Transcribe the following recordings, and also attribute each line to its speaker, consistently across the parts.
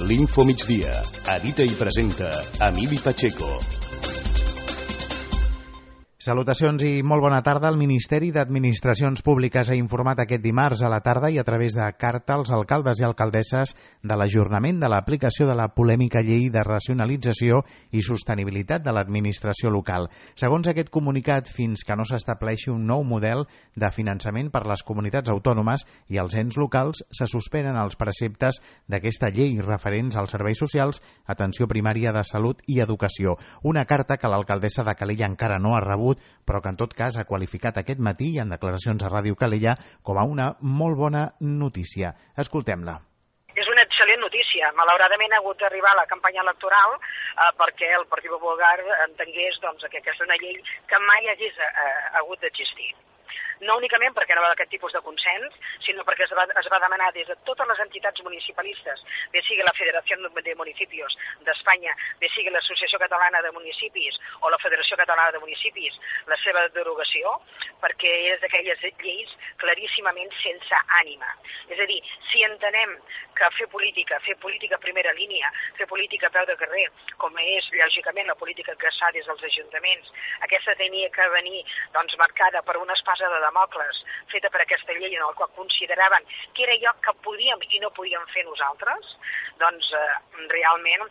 Speaker 1: L'Info Migdia. Edita i presenta Emili Pacheco.
Speaker 2: Salutacions i molt bona tarda. El Ministeri d'Administracions Públiques ha informat aquest dimarts a la tarda i a través de carta als alcaldes i alcaldesses de l'ajornament de l'aplicació de la polèmica llei de racionalització i sostenibilitat de l'administració local. Segons aquest comunicat, fins que no s'estableixi un nou model de finançament per les comunitats autònomes i els ens locals, se suspenen els preceptes d'aquesta llei referents als serveis socials, atenció primària de salut i educació. Una carta que l'alcaldessa de Calella encara no ha rebut, però que en tot cas ha qualificat aquest matí i en declaracions a Ràdio Calella com a una molt bona notícia. Escoltem-la.
Speaker 3: És una excel·lent notícia. Malauradament ha hagut d'arribar a la campanya electoral perquè el Partit Popular entengués que aquesta és una llei que mai hagués hagut d'existir. No únicament perquè no va d'aquest tipus de consens, sinó perquè es va demanar des de totes les entitats municipalistes, bé sigui la Federació de Municipis d'Espanya, bé sigui l'Associació Catalana de Municipis o la Federació Catalana de Municipis, la seva derogació, perquè és d'aquelles lleis claríssimament sense ànima. És a dir, si entenem que fer política a primera línia, fer política a peu de carrer, com és, lògicament, la política que es fa des dels ajuntaments, aquesta tenia que venir marcada per una espasa de Damocles feta per aquesta llei en la qual consideraven que era allò que podíem i no podíem fer nosaltres, realment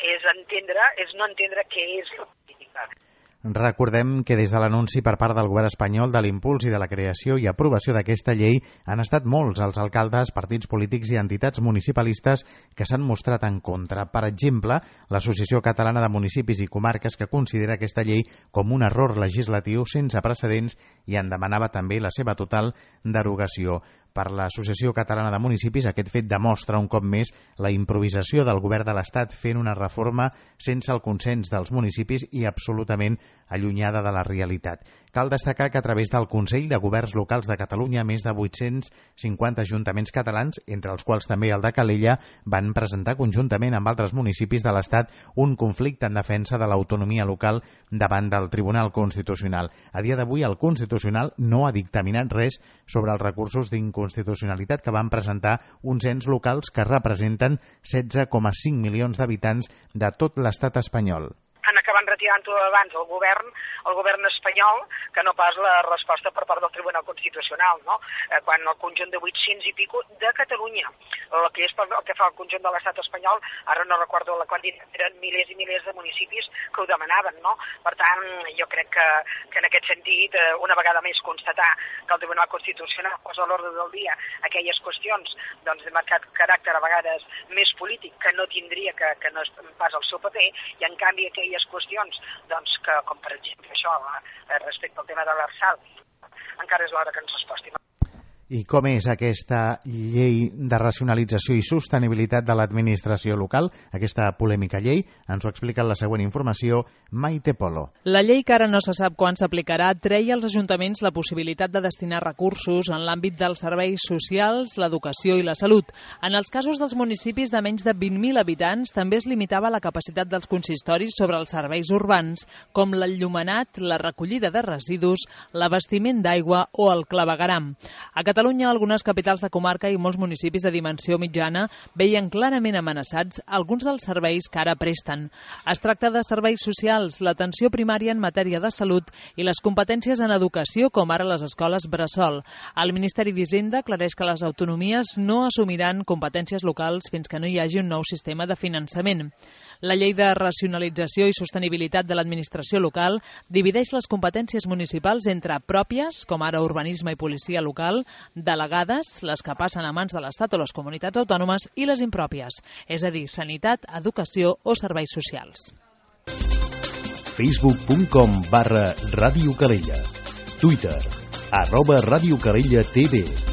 Speaker 3: és no entendre què és la política.
Speaker 2: Recordem que des de l'anunci per part del govern espanyol de l'impuls i de la creació i aprovació d'aquesta llei han estat molts els alcaldes, partits polítics i entitats municipalistes que s'han mostrat en contra. Per exemple, l'Associació Catalana de Municipis i Comarques, que considera aquesta llei com un error legislatiu sense precedents i en demanava també la seva total derogació. Per l'Associació Catalana de Municipis, aquest fet demostra un cop més la improvisació del govern de l'Estat fent una reforma sense el consens dels municipis i absolutament allunyada de la realitat. Cal destacar que a través del Consell de Governs Locals de Catalunya, més de 850 ajuntaments catalans, entre els quals també el de Calella, van presentar conjuntament amb altres municipis de l'Estat un conflicte en defensa de l'autonomia local davant del Tribunal Constitucional. A dia d'avui, el Constitucional no ha dictaminat res sobre els recursos d'inconstitucionalitat que van presentar uns ens locals que representen 16,5 milions d'habitants de tot l'Estat espanyol.
Speaker 3: Han acabat retirant-ho abans el govern espanyol que no pas la resposta per part del Tribunal Constitucional, no? Quan el conjunt de 800 i pico de Catalunya, el que fa el conjunt de l'estat espanyol, ara no recordo la quantitat, eren milers i milers de municipis que ho demanaven, no? Per tant, jo crec que en aquest sentit, una vegada més constatar que el Tribunal Constitucional posa a l'ordre del dia aquelles qüestions de marcat caràcter a vegades més polític que no tindria, que no és pas el seu paper, i en canvi aquelles qüestions que, com per exemple això, respecte al tema de l'Arsal, encara és l'hora que ens resposti.
Speaker 2: I com és aquesta llei de racionalització i sostenibilitat de l'administració local, aquesta polèmica llei? Ens ho explica en la següent informació Maite Polo.
Speaker 4: La llei, que ara no se sap quan s'aplicarà, treia als ajuntaments la possibilitat de destinar recursos en l'àmbit dels serveis socials, l'educació i la salut. En els casos dels municipis de menys de 20.000 habitants també es limitava la capacitat dels consistoris sobre els serveis urbans, com l'enllumenat, la recollida de residus, l'abastiment d'aigua o el clavegueram. A Catalunya, algunes capitals de comarca i molts municipis de dimensió mitjana veien clarament amenaçats alguns dels serveis que ara presten. Es tracta de serveis socials, l'atenció primària en matèria de salut i les competències en educació, com ara les escoles bressol. El Ministeri d'Hisenda aclareix que les autonomies no assumiran competències locals fins que no hi hagi un nou sistema de finançament. La llei de racionalització i sostenibilitat de l'administració local divideix les competències municipals entre pròpies, com ara urbanisme i policia local, delegades, les que passen a mans de l'Estat o les comunitats autònomes, i les impròpies, és a dir, sanitat, educació o serveis socials.
Speaker 1: Facebook.com/Ràdio Calella. Twitter @RadioCalella.tv.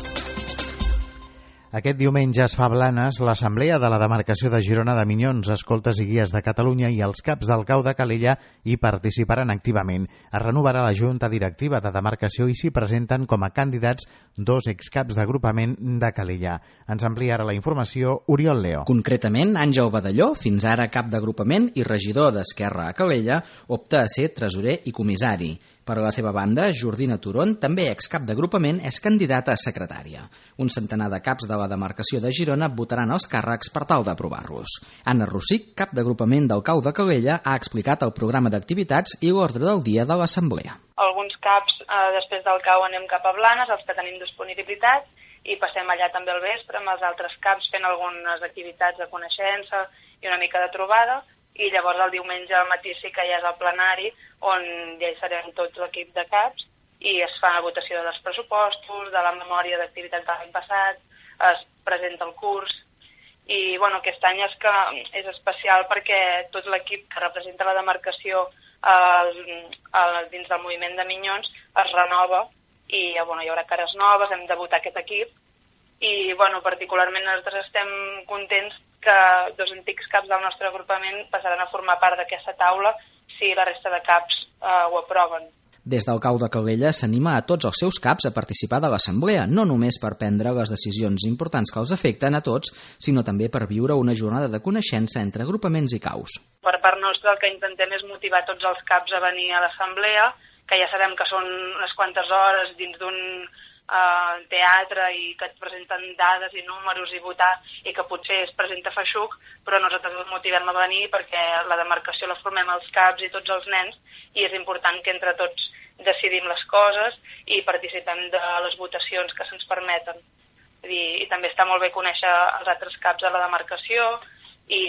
Speaker 2: Aquest diumenge es fa a Blanes l'Assemblea de la Demarcació de Girona de Minyons, Escoltes i Guies de Catalunya, i els caps del CAU de Calella hi participaran activament. Es renovarà la Junta Directiva de Demarcació i s'hi presenten com a candidats 2 excaps d'agrupament de Calella. Ens amplia ara la informació Oriol Leo.
Speaker 5: Concretament, Àngel Badalló, fins ara cap d'agrupament i regidor d'Esquerra a Calella, opta a ser tresorer i comissari. Per a la seva banda, Jordina Turon, també excap d'agrupament, és candidata a secretària. Un centenar de caps de la demarcació de Girona votaran els càrrecs per tal d'aprovar-los. Anna Rossic, cap d'agrupament del CAU de Calella, ha explicat el programa d'activitats i l'ordre del dia de l'assemblea.
Speaker 6: Alguns caps, després del CAU anem cap a Blanes, els que tenim disponibilitat, i passem allà també al vespre amb els altres caps fent algunes activitats de coneixença i una mica de trobada, i llavors el diumenge al matí sí que ja és el plenari on ja hi serem tots l'equip de caps i es fa la votació dels pressupostos, de la memòria d'activitats de l'any passat, es presenta el curs i bueno, aquest any és especial perquè tot l'equip que representa la demarcació dins del moviment de Minyons es renova i bueno, hi haurà cares noves, hem de votar aquest equip i bueno, particularment nosaltres estem contents que dos antics caps del nostre agrupament passaran a formar part d'aquesta taula si la resta de caps ho aproven.
Speaker 5: Des del CAU de Calella s'anima a tots els seus caps a participar de l'assemblea, no només per prendre les decisions importants que els afecten a tots, sinó també per viure una jornada de coneixença entre agrupaments i caus.
Speaker 6: Per part nostra el que intentem és motivar tots els caps a venir a l'assemblea, que ja sabem que són unes quantes hores dins d'un teatre i que et presenten dades i números i votar i que potser es presenta feixuc, però nosaltres els motivem a venir perquè la demarcació la formem els caps i tots els nens i és important que entre tots decidim les coses i participem de les votacions que se'ns permeten. I també està molt bé conèixer els altres caps de la demarcació i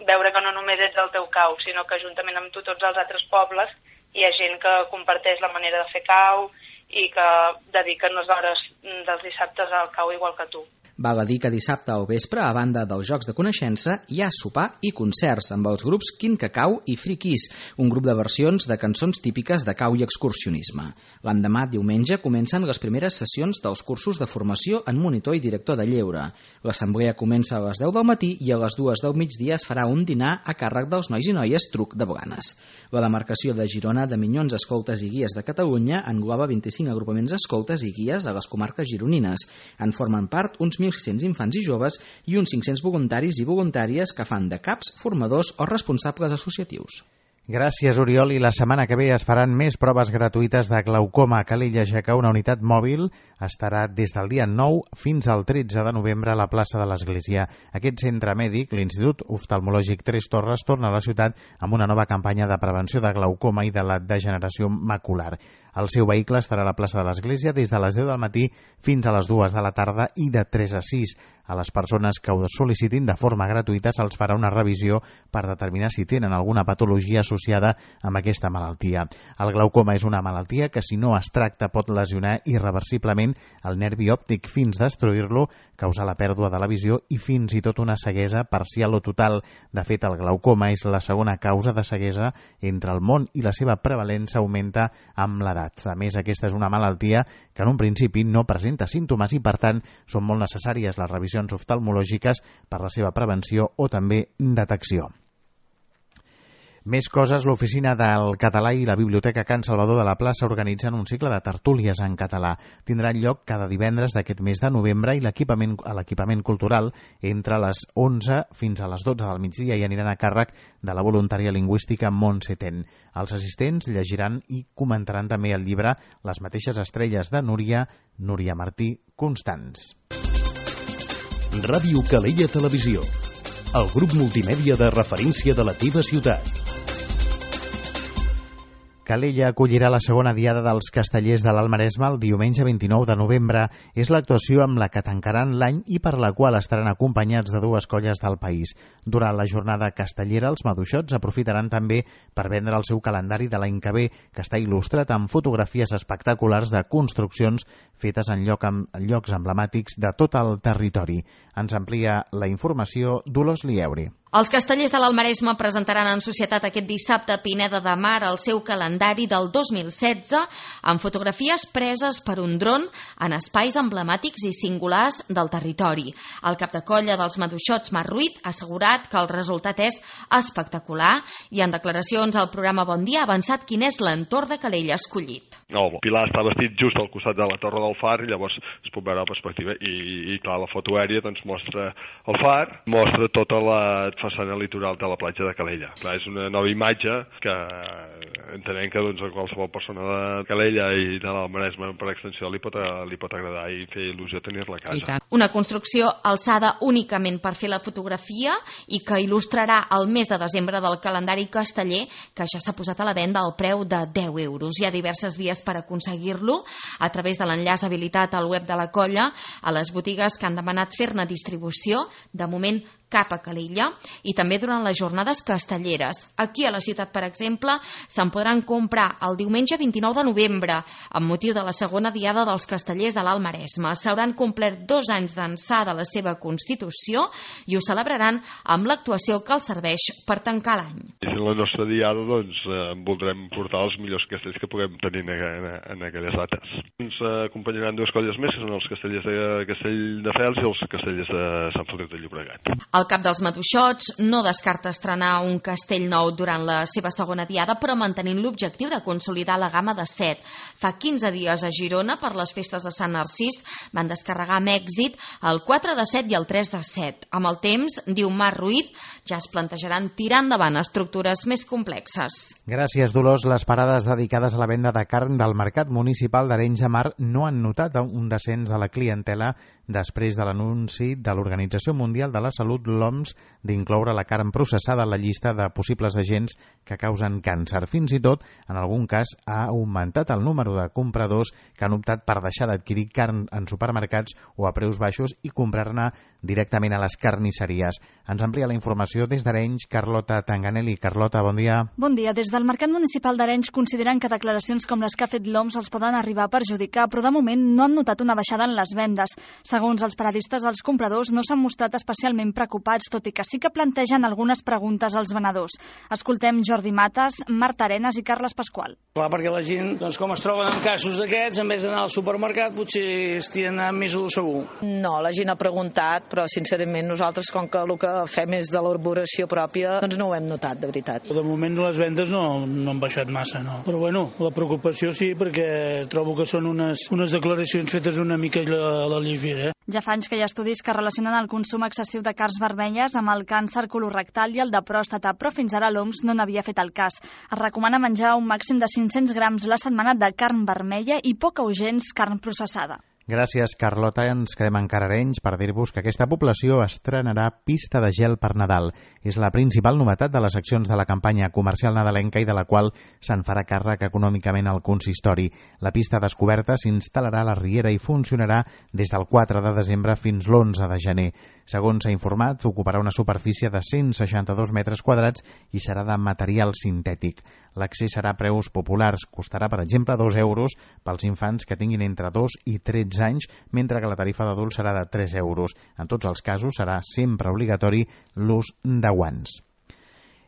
Speaker 6: veure que no només ets el teu cau, sinó que juntament amb tu tots els altres pobles hi ha gent que comparteix la manera de fer cau i que dediquen les hores dels dissabtes al cau igual que tu.
Speaker 5: Val a dir que dissabte al vespre, a banda dels Jocs de Coneixença, hi ha sopar i concerts amb els grups Quin Cacau i Free Kiss, un grup de versions de cançons típiques de cau i excursionisme. L'endemà, diumenge, comencen les primeres sessions dels cursos de formació en monitor i director de lleure. L'assemblea comença a les 10 del matí i a les 2 del migdia es farà un dinar a càrrec dels nois i noies Truc de Blanes. La demarcació de Girona de Minyons, Escoltes i Guies de Catalunya engloba 25 agrupaments escoltes i guies a les comarques gironines. En formen part uns 1.600 infants i joves i uns 500 voluntaris i voluntàries que fan de caps, formadors o responsables associatius.
Speaker 2: Gràcies, Oriol. I la setmana que ve es faran més proves gratuïtes de glaucoma a Calella, ja que una unitat mòbil estarà des del dia 9 fins al 13 de novembre a la plaça de l'Església. Aquest centre mèdic, l'Institut Oftalmològic Tres Torres, torna a la ciutat amb una nova campanya de prevenció de glaucoma i de la degeneració macular. El seu vehicle estarà a la plaça de l'Església des de les 10 del matí fins a les 2 de la tarda i de 3 a 6. A les persones que ho sol·licitin de forma gratuïta se'ls farà una revisió per determinar si tenen alguna patologia associada amb aquesta malaltia. El glaucoma és una malaltia que, si no es tracta, pot lesionar irreversiblement el nervi òptic fins destruir-lo, causar la pèrdua de la visió i fins i tot una ceguesa parcial o total. De fet, el glaucoma és la segona causa de ceguesa entre el món i la seva prevalença augmenta amb l'edat. A més, aquesta és una malaltia que en un principi no presenta símptomes i, per tant, són molt necessàries les revisions oftalmològiques per la seva prevenció o també detecció. Més coses, l'Oficina del Català i la Biblioteca Can Salvador de la Plaça organitzen un cicle de tertúlies en català. Tindran lloc cada divendres d'aquest mes de novembre i l'equipament cultural entre les 11 fins a les 12 del migdia i aniran a càrrec de la voluntària lingüística Montse Ten. Els assistents llegiran i comentaran també el llibre Les mateixes estrelles de Núria Martí Constants.
Speaker 1: Ràdio Calella Televisió, el grup multimèdia de referència de la teva ciutat.
Speaker 2: Calella acollirà la segona diada dels Castellers de l'Alt Maresme el diumenge 29 de novembre. És l'actuació amb la que tancaran l'any i per la qual estaran acompanyats de dues colles del país. Durant la jornada castellera, els maduixots aprofitaran també per vendre el seu calendari de l'any que ve, que està il·lustrat amb fotografies espectaculars de construccions fetes en llocs emblemàtics de tot el territori. Ens amplia la informació Dolors Lieuri.
Speaker 7: Els Castellers de l'Alt Maresme presentaran en societat aquest dissabte a Pineda de Mar el seu calendari del 2016 amb fotografies preses per un dron en espais emblemàtics i singulars del territori. El cap de colla dels maduixots, Marc Ruiz, ha assegurat que el resultat és espectacular i en declaracions al programa Bon Dia ha avançat quin és l'entorn de Calella escollit.
Speaker 8: El Pilar està vestit just al costat de la Torre del Far i llavors es pot veure la perspectiva i clar, la foto aèria doncs mostra el far, mostra tota la façana litoral de la platja de Calella. Clar, és una nova imatge que entenem que a qualsevol persona de Calella i de l'Alt Maresme per extensió li pot agradar i fer il·lusió tenir-la a casa.
Speaker 7: Una construcció alçada únicament per fer la fotografia i que il·lustrarà el mes de desembre del calendari casteller, que ja s'ha posat a la venda al preu de 10 euros. Hi ha diverses vies per aconseguir-lo, a través de l'enllaç habilitat al web de la colla, a les botigues que han demanat fer-ne distribució, de moment cap a Calella, i també durant les jornades castelleres. Aquí a la ciutat, per exemple, se'n podran comprar el diumenge 29 de novembre, amb motiu de la segona diada dels castellers de l'Alt Maresme. S'hauran complert 2 anys d'ençà de la seva constitució i ho celebraran amb l'actuació que els serveix per tancar l'any.
Speaker 8: I en la nostra diada, doncs, voldrem portar els millors castells que puguem tenir en aquelles dates. Ens acompanyaran 2 colles més, que són els castellers de Castelldefels i els castellers de Sant Feliu de Llobregat.
Speaker 7: El cap dels Maduixots no descarta estrenar un castell nou durant la seva segona diada, però mantenint l'objectiu de consolidar la gamma de 7. Fa 15 dies a Girona, per les festes de Sant Narcís, van descarregar amb èxit el 4 de 7 i el 3 de 7. Amb el temps, diu Marc Ruiz, ja es plantejaran tirar endavant estructures més complexes.
Speaker 2: Gràcies, Dolors. Les parades dedicades a la venda de carn del Mercat Municipal d'Arenys de Mar no han notat un descens de la clientela després de l'anunci de l'Organització Mundial de la Salut, l'OMS, d'incloure la carn processada a la llista de possibles agents que causen càncer. Fins i tot, en algun cas, ha augmentat el número de compradors que han optat per deixar d'adquirir carn en supermercats o a preus baixos i comprar-ne directament a les carnisseries. Ens amplia la informació des d'Arenys, Carlota Tanganelli. Carlota, bon dia.
Speaker 9: Bon dia. Des del Mercat Municipal d'Arenys consideren que declaracions com les que ha fet l'OMS els poden arribar a perjudicar, però de moment no han notat una baixada en les vendes. Segons els paradistes, els compradors no s'han mostrat especialment preocupats, tot i que sí que plantegen algunes preguntes als venedors. Escoltem Jordi Mates, Marta Arenas i Carles Pasqual.
Speaker 10: Clar, perquè la gent, doncs, com es troben en casos d'aquests, en vez d'anar al supermercat, potser estien anant més segur.
Speaker 11: No, la gent ha preguntat, però sincerament nosaltres, com que el que fem és de l'elaboració pròpia, doncs no ho hem notat, de veritat.
Speaker 10: De moment les vendes no han baixat massa, no. Però bueno, la preocupació sí, perquè trobo que són unes declaracions fetes una mica a la lleugera.
Speaker 9: Ja fa anys que hi ha estudis que relacionen el consum excessiu de carns vermelles amb el càncer colorectal i el de pròstata, però fins ara l'OMS no n'havia fet el cas. Es recomana menjar un màxim de 500 grams la setmana de carn vermella i poca o gens carn processada.
Speaker 2: Gràcies, Carlota. Ens quedem encara a Arenys per dir-vos que aquesta població estrenarà pista de gel per Nadal. És la principal novetat de les accions de la campanya comercial nadalenca i de la qual se'n farà càrrec econòmicament al consistori. La pista descoberta s'instal·larà a la Riera i funcionarà des del 4 de desembre fins l'11 de gener. Segons s'ha informat, ocuparà una superfície de 162 metres quadrats i serà de material sintètic. L'accés serà a preus populars. Costarà, per exemple, 2 euros pels infants que tinguin entre 2 i 13 anys, mentre que la tarifa d'adults serà de 3 euros. En tots els casos serà sempre obligatori l'ús de guants.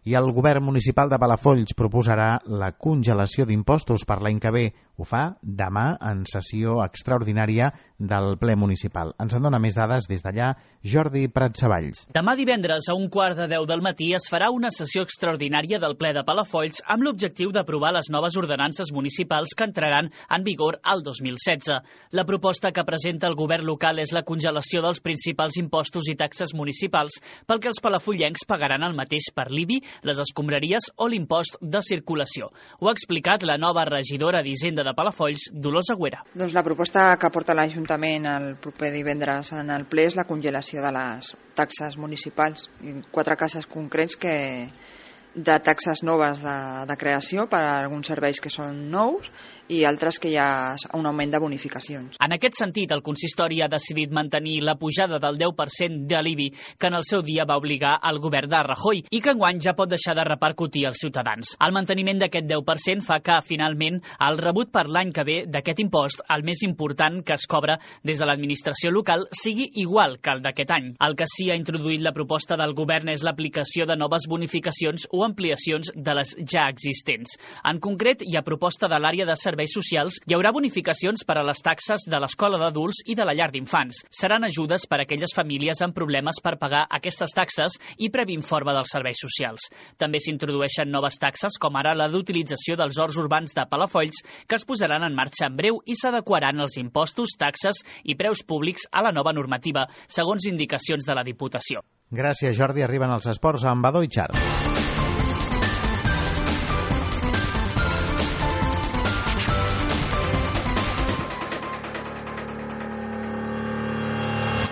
Speaker 2: I el govern municipal de Palafolls proposarà la congelació d'impostos per l'any que ve. Ho fa demà en sessió extraordinària del ple municipal. Ens en dona més dades des d'allà Jordi Pratsavalls.
Speaker 12: Demà divendres a 1:15 del matí es farà una sessió extraordinària del ple de Palafolls amb l'objectiu d'aprovar les noves ordenances municipals que entraran en vigor al 2016. La proposta que presenta el govern local és la congelació dels principals impostos i taxes municipals pel que els palafollencs pagaran el mateix per l'IBI, les escombraries o l'impost de circulació. Ho ha explicat la nova regidora d'Hisenda de Palafolls, Dolors Agüera.
Speaker 13: Doncs la proposta que porta l'Ajuntament el proper divendres en el ple és la congelació de les taxes municipals. 4 casos concrets de taxes noves de creació per a alguns serveis que són nous i altres que hi ha un augment de bonificacions.
Speaker 12: En aquest sentit, el consistori ha decidit mantenir la pujada del 10% de l'IBI que en el seu dia va obligar el govern de Rajoy i que enguany ja pot deixar de repercutir als ciutadans. El manteniment d'aquest 10% fa que, finalment, el rebut per l'any que ve d'aquest impost, el més important que es cobra des de l'administració local, sigui igual que el d'aquest any. El que sí ha introduït la proposta del govern és l'aplicació de noves bonificacions o ampliacions de les ja existents. En concret, hi ha proposta de l'àrea de serveis socials, hi haurà bonificacions per a les taxes de l'escola d'adults i de la llar d'infants. Seran ajudes per a aquelles famílies amb problemes per pagar aquestes taxes i previ informe dels serveis socials. També s'introdueixen noves taxes, com ara la d'utilització dels horts urbans de Palafolls, que es posaran en marxa en breu i s'adequaran els impostos, taxes i preus públics a la nova normativa, segons indicacions de la Diputació.
Speaker 2: Gràcies, Jordi. Arriben els esports amb Badó i Xart.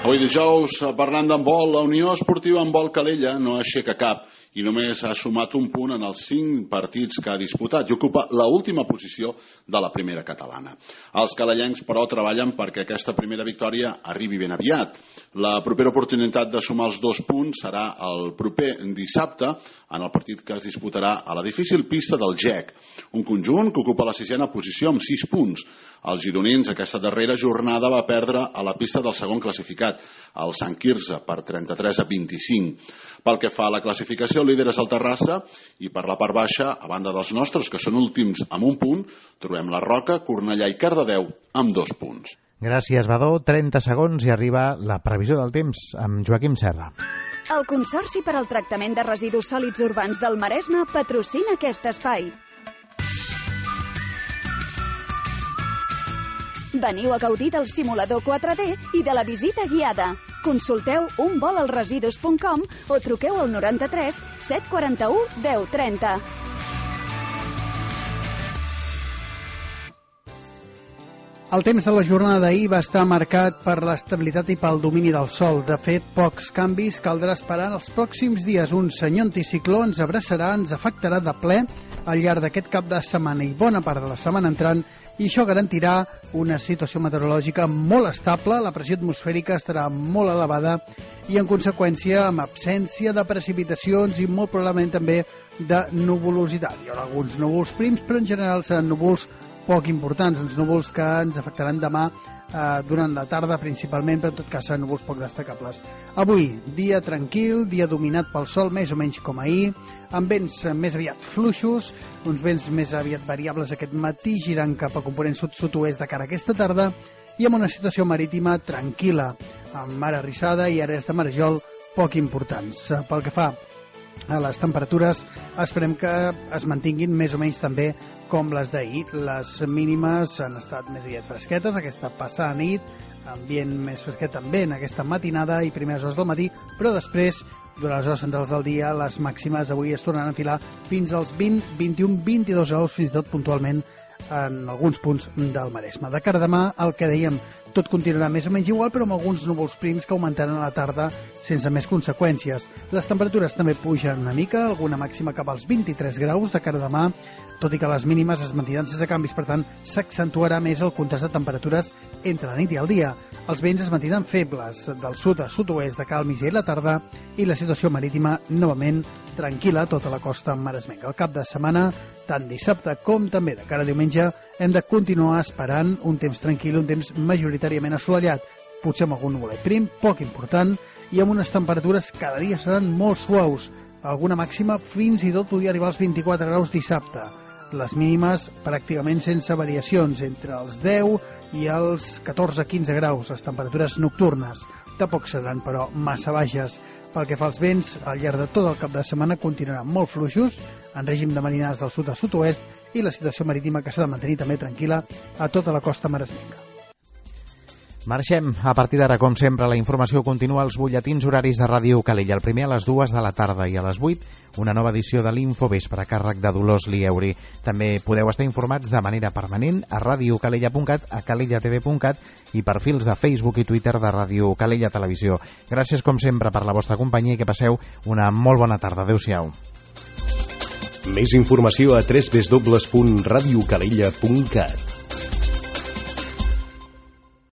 Speaker 14: Avui dijous, parlant d'handbol, la Unió Esportiva Handbol Calella no aixeca cap i només ha sumat un punt en els 5 partits que ha disputat i ocupa l'última posició de la primera catalana. Els calellencs, però, treballen perquè aquesta primera victòria arribi ben aviat. La propera oportunitat de sumar els 2 punts serà el proper dissabte en el partit que es disputarà a la difícil pista del GEC, un conjunt que ocupa la 6ª posició amb 6 punts. Els gironins aquesta darrera jornada va perdre a la pista del segon classificat, el Sant Quirze, per 33-25. Pel que fa a la classificació, el líder és el Terrassa i per la part baixa, a banda dels nostres, que són últims amb 1 punt, trobem la Roca, Cornellà i Cardedeu amb 2 punts.
Speaker 2: Gràcies, Badó. 30 segons i arriba la previsió del temps amb Joaquim Serra.
Speaker 15: El Consorci per al Tractament de Residus Sòlids Urbans del Maresme patrocina aquest espai. Veniu a gaudir del simulador 4D i de la visita guiada. Consulteu unvolalresidus.com o truqueu al 93 741 1030.
Speaker 16: El temps de la jornada d'ahir va estar marcat per l'estabilitat i pel domini del sol. De fet, pocs canvis caldrà esperar en els pròxims dies. Un senyor anticicló ens abraçarà, ens afectarà de ple al llarg d'aquest cap de setmana i bona part de la setmana entrant, i això garantirà una situació meteorològica molt estable, la pressió atmosfèrica estarà molt elevada i, en conseqüència, amb absència de precipitacions i molt probablement també de nuvolositat. Hi haurà alguns núvols prims, però en general seran núvols poc importants, uns núvols que ens afectaran demà durant la tarda principalment, però en tot cas seran núvols poc destacables. Avui, dia tranquil, dia dominat pel sol, més o menys com ahir, amb vents més aviat fluixos, uns vents més aviat variables aquest matí, girant cap a component sud-sud-oest de cara a aquesta tarda, i amb una situació marítima tranquil·la, amb mar arrissada i àrees de marejol poc importants. Pel que fa a les temperatures, esperem que es mantinguin més o menys també com les d'ahir. Les mínimes han estat més aviat fresquetes, aquesta passada nit, ambient més fresquet també en aquesta matinada i primeres hores del matí, però després, durant les hores centrals del dia, les màximes avui es tornaran a enfilar fins als 20, 21, 22 graus, fins i tot puntualment en alguns punts del Maresme. De cara a demà, el que dèiem, tot continuarà més o menys igual, però amb alguns núvols prims que augmentaran a la tarda sense més conseqüències. Les temperatures també pugen una mica, alguna màxima cap als 23 graus de cara a demà, tot i que les mínimes es mantindran sense canvis, per tant, s'accentuarà més el contrast de temperatures entre la nit i el dia. Els vents es mantindran febles del sud a sud-oest de cara al migdia i la tarda i la situació marítima novament tranquil·la a tota la costa maresmenca. Al cap de setmana, tant dissabte com també de cara a diumenge, hem de continuar esperant un temps tranquil, un temps majoritàriament assolellat, potser amb algun nuvolet prim, poc important, i amb unes temperatures cada dia seran molt suaus, alguna màxima fins i tot podria arribar als 24 graus dissabte. Les mínimes pràcticament sense variacions, entre els 10 i els 14-15 graus, les temperatures nocturnes. Tampoc seran, però, massa baixes. Pel que fa als vents, al llarg de tot el cap de setmana continuaran molt fluixos, en règim de marinades del sud a sud-oest, i la situació marítima que s'ha de mantenir també tranquil·la a tota la costa maresmenca.
Speaker 2: Marxem. A partir d'ara, com sempre, la informació continua als butlletins horaris de Ràdio Calella. El primer a les 2 de la tarda i a les 8, una nova edició de l'Infovespre a càrrec de Dolors Lieuri. També podeu estar informats de manera permanent a radiocalella.cat, a calellatv.cat i perfils de Facebook i Twitter de Ràdio Calella Televisió. Gràcies, com sempre, per la vostra companyia i que passeu una molt bona tarda. Adéu-siau.
Speaker 1: Més informació a www.radiocalella.cat.